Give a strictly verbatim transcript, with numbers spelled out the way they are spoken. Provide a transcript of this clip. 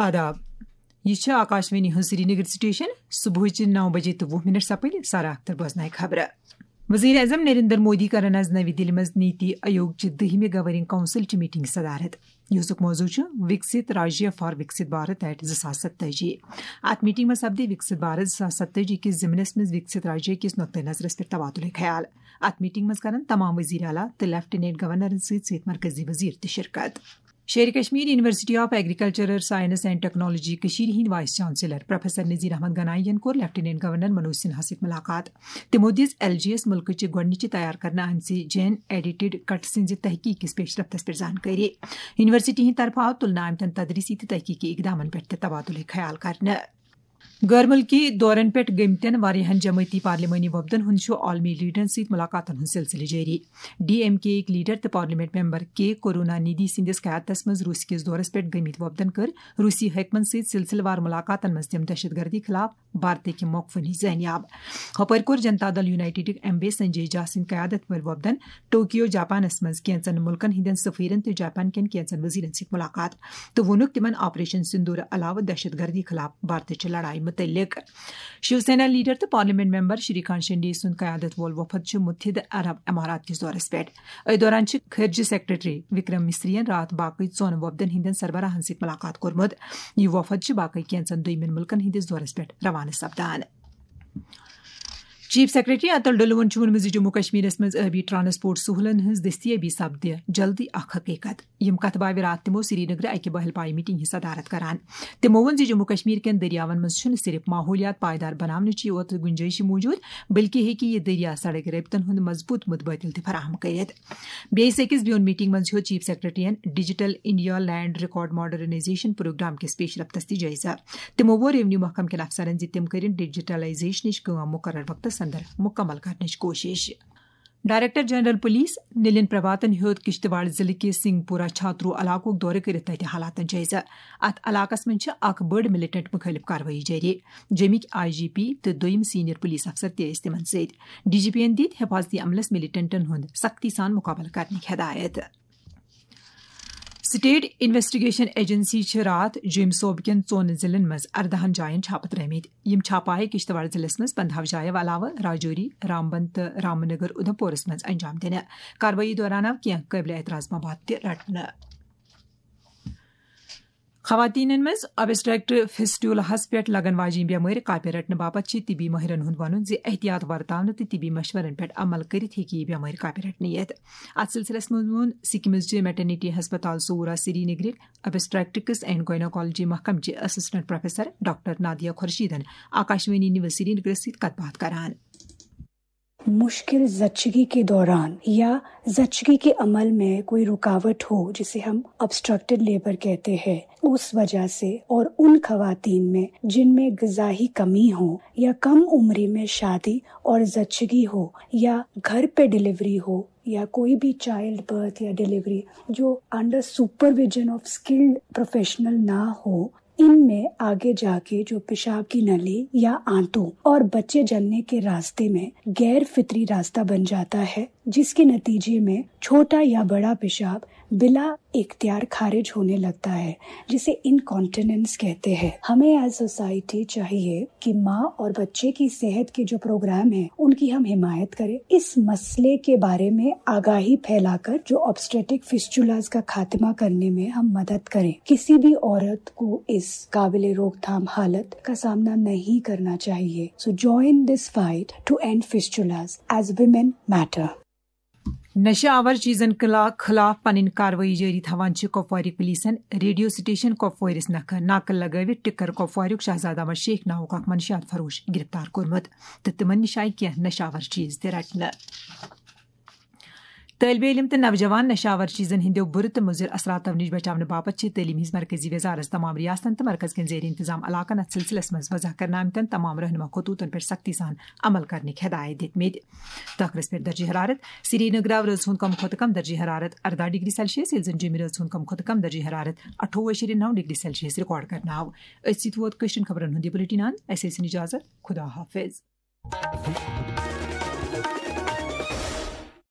آداب۔ یہِ چھِ آکاشوانی ہٕنٛز سرینگر سٹیشن۔ صبحٕچہِ نو بجے تہٕ وُہ منٹ سپٕدۍ۔ سارا اختر بوزنایہِ خبرٕ۔ وزیر اعظم نریندر مودی کرن از نوی دِلہِ منٛز نیتی آیوگ چہِ دٔہمہِ گورننگ کونسل چہِ میٹنگ صدارت، یُسُک موضوع چھُ وکست راجیہ فار وکست بھارت ایٹ زٕ ساس ستٲجی۔ اتھ میٹنگ منٛز سپدِ وکست بھارت زٕ ساس ستٲجی کِس ضمنس منٛز وکست راجیہ کِس نقطہ نظرس پٮ۪ٹھ تبادلہ خیال۔ اتھ میٹنگ منٛز کرن تمام وزیر اعلیٰ تہٕ لیفٹیننٹ گورنرن سۭتۍ سۭتۍ مرکزی وزیر تہِ شرکت۔ Sher Kashmir university of agricultural science and technology Kashmir ہند vice chancellor professor Nazir Ahmad Ganai ین کوٚر لیفٹیننٹ گورنر منوج سنہا سۭتۍ ملاقات۔ تِمو دِژ ایل جی یس مُلکٕچہِ گۄڈٕنِچہِ تیار کرنہٕ آمژِ جین ایڈیٹڈ کٹ سٕنزِ تحقیق کِس پیش رفتس پٮ۪ٹھ زانکٲری۔ یونیورسٹی ہٕنٛدِ طرفہٕ آو تُلنہٕ آمتٮ۪ن تدریسی تہٕ تحقیقی اقدامن پٮ۪ٹھ تہِ تبادلہ خیال کرنہٕ۔ غٲر مُلکی دورن پٮ۪ٹھ گٔمتٮ۪ن واریاہن جمٲعتی پارلیمانی وفدن ہُنٛد چھُ عالمی لیڈرن سۭتۍ ملاقاتن ہُنٛد سلسلہٕ جٲری۔ ڈی ایم کے یِکۍ لیڈر تہٕ پارلیمنٹ ممبر کے کرونا ندی سٕنٛدِس قیادتس منٛز روٗس کِس دورس پٮ۪ٹھ گٔمٕتۍ وفدن کٔر روٗسی حٲکمن سۭتۍ سلسلہٕ وار ملاقاتن منٛز تِم دہشت گردی خلاف بھارتٕکۍ موقفن ہٕنٛز زٲنیاب۔ ہۄپٲرۍ کوٚر جنتا دل یونائیٹڈٕکۍ ایم بی سنجے جھا سٕنٛدِ قیادت وٲلۍ وفدن ٹوکیو جاپانس منٛز کینژن مُلکن ہٕنٛدٮ۪ن سفیرن تہٕ جاپان کٮ۪ن کینژن وزیرن سۭتۍ ملاقات تہٕ ووٚنُکھ تِمن آپریشن سندور علاوٕ دہشت گردی خلاف بھارتٕچہِ لڑایہِ مُتعلق۔ شیو سینا لیڈر تہٕ پارلیمنٹ ممبر شری کانت شنڈے سُنٛد قیادت وول وفد چھُ متحدہ عرب امارات کِس دورس پٮ۪ٹھ۔ أتھۍ دوران چھِ خارجہ سیکرٹری وکرم مصری ین راتھ باقٕے ژۄن وفدن ہٕنٛدٮ۪ن سربراہن سۭتۍ ملاقات کوٚرمُت۔ یہِ وفد چھِ باقٕے کینژن دوٚیمٮ۪ن مُلکن ہٕنٛدِس دورس پٮ۪ٹھ روانہٕ سپدان۔ چیف سیکرٹری اتل ڈلون چھُ ووٚنمُت زِ جموں کشمیرس منٛز ٲبی ٹرانسپورٹ سہولن ہٕنٛز دٔستیٲبی سپدِ جلدی اکھ حقیقت۔ یِم کتھ باتھ راتھ تِمو سرینگرٕ اکہِ بحل پایہِ میٹنگ ہٕنٛز صدارت کران۔ تِمو ووٚن زِ جموں کشمیر کٮ۪ن دٔریاون منٛز چھُنہٕ صرف ماحولیات پائیدار بناونٕچی یوت گنجائش موجود، بلکہِ ہیٚکہِ یہِ دٔریا سڑک رٲبطن ہُنٛد مضبوط متبادل تہِ فراہم کٔرِتھ۔ بیٚیِس أکِس بیوٚن میٹنگ منٛز ہیوٚت چیف سیکرٹریَن digital India land record modernisation programme کِس پیش رفتس تہِ جٲیزٕ۔ تِمو ووٚن ریونیو محکمہٕ کٮ۪ن افسرن زِ تِم کٔرِن ڈیجیٹلائزیشنٕچ کٲم مقرر وقتس اندر مکمل کرنٕچ کوٗشش۔ ڈائریکٹر جنرل پولیس نلین پربھاتن ہیوٚت کشتواڑ ضلعہٕ کِس سنگھ پورہ چھاترو علاقُک دورٕ کٔرِتھ تتہِ حالاتن جٲیزٕ۔ اتھ علاقس منٛز چھِ اکھ بٔڑ ملیٹنٹ مُخٲلف کاروٲیی جٲری۔ جیٚمِکۍ آئی جی پی تہٕ دوٚیِم سینئر پولیس افسر تہِ ٲسۍ تِمن سۭتۍ۔ ڈی جی پی ین دِتۍ حفاظتی عملس ملیٹنٹن ہُنٛد سختی سان مُقابلہٕ کرنٕکۍ ہدایت۔ سٹیٹ انویسٹیگیشن ایجنسی چھِ راتھ جوٚمۍ صوبہٕ کٮ۪ن ژۄن ضلعن منٛز ارداہن جاین چھاپہٕ ترٲومٕتۍ۔ یِم چھاپہٕ آیہِ کشتواڑ ضلعس منٛز پندہو جایو علاوٕ راجوری، رامبن تہٕ رامنگر اُدھمپورس منٛز انجام دِنہٕ۔ کاروٲیی دوران آو کینٛہہ قٲبلِ اعتراض مواد تہِ رٹنہٕ۔ خواتینن منٛز ابسٹریکٹ فسٹولہس پٮ۪ٹھ لگن واجیٚنۍ بٮ۪مٲرۍ کاپہِ رٹنہٕ باپتھ چھِ طبی مٲہرن ہُنٛد وَنُن زِ احتیاط ورتاونہٕ تہٕ طبی مشورن پٮ۪ٹھ عمل کٔرِتھ ہیٚکہِ یہِ بٮ۪مٲرۍ کاپہِ رٹنہٕ یِتھ۔ اتھ سلسلس منٛز ووٚن سکمز چہِ میٹرنیٹی ہسپتال صورہ سری نگرٕکۍ ابسٹریکٹکس اینڈ گائنوکالوجی محکمہٕ چہِ اسسٹنٹ پروفیسر ڈاکٹر نادیہ خورشیدن آکاشوانی نیوز سری نگرس سۭتۍ کتھ باتھ کران۔ مشکل زچگی کے دوران یا زچگی کے عمل میں کوئی رکاوٹ ہو، جسے ہم آبسٹرکٹڈ لیبر کہتے ہیں، اس وجہ سے، اور ان خواتین میں جن میں غذائی کمی ہو یا کم عمری میں شادی اور زچگی ہو یا گھر پہ ڈلیوری ہو یا کوئی بھی چائلڈ برتھ یا ڈلیوری جو under supervision of skilled professional نہ ہو، ان میں آگے جا کے جو پیشاب کی نلی یا آنتوں اور بچے جننے کے راستے میں غیر فطری راستہ بن جاتا ہے، جس کے نتیجے میں چھوٹا یا بڑا پیشاب بلا اختیار خارج ہونے لگتا ہے، جسے انکانٹیننس کہتے ہیں۔ ہمیں ایز سوسائٹی چاہیے کہ ماں اور بچے کی صحت کے جو پروگرام ہیں، ان کی ہم حمایت کریں۔ اس مسئلے کے بارے میں آگاہی پھیلا کر جو آبسٹریٹک فسٹولاز کا خاتمہ کرنے میں ہم مدد کریں۔ کسی بھی عورت کو اس قابل روک تھام حالت کا سامنا نہیں کرنا چاہیے۔ So join this fight to end fistulas as women matter. نشہ آور چیزن کلا-، خلاف پنٕنۍ کاروٲیی جٲری تھاوان چھِ کپوارٕکۍ پولیسن ریڈیو سٹیشن کپوٲرِس نکھٕ ناکہٕ لگٲوِتھ ٹکر کپواریُک شہزادہ احمد شیخ ناوُک اکھ منشیات فروش گرفتار کوٚرمُت تہٕ تِمن نِش آیہِ کینٛہہ نشہ آور چیز تہِ رٹنہٕ۔ طٲلبہِ علم تہٕ نوجوان نشہ آور چیزن ہٕنٛدیو بُرٕ تہٕ مُضر اثراتو نِش بچاونہٕ باپتھ چھِ تعلیٖم ہٕنٛز مرکزی وزارت تمام ریاستن تہٕ مرکز کٮ۪ن زیر انتظام علاقن اتھ سلسلس منٛز وضع کرنہٕ آمتٮ۪ن تمام رہنما خطوطن پٮ۪ٹھ سختی سان عمل کرنٕکۍ ہدایت دِتمٕتۍ۔ ٹاکرس پٮ۪ٹھ درجہ حرارت۔ سرینگرٕ آو رٲژ ہُنٛد کم کھۄتہٕ کم درجہ حرارت ارداہ ڈگری سیلسیس، ییٚلہِ زن جیٚمہِ رٲژ ہُنٛد کم کھۄتہٕ کم درجہ حرارت اَٹھووُہ اَشیرِ نَو ڈگری سیلسیس ریکارڈ کرنہٕ آو۔ أتھۍ سۭتۍ ووت کٲشرٮ۪ن خبرن ہُنٛد یہِ بُلٹن اند۔ اسہِ ٲسِن اجازت۔ خدا حافظ۔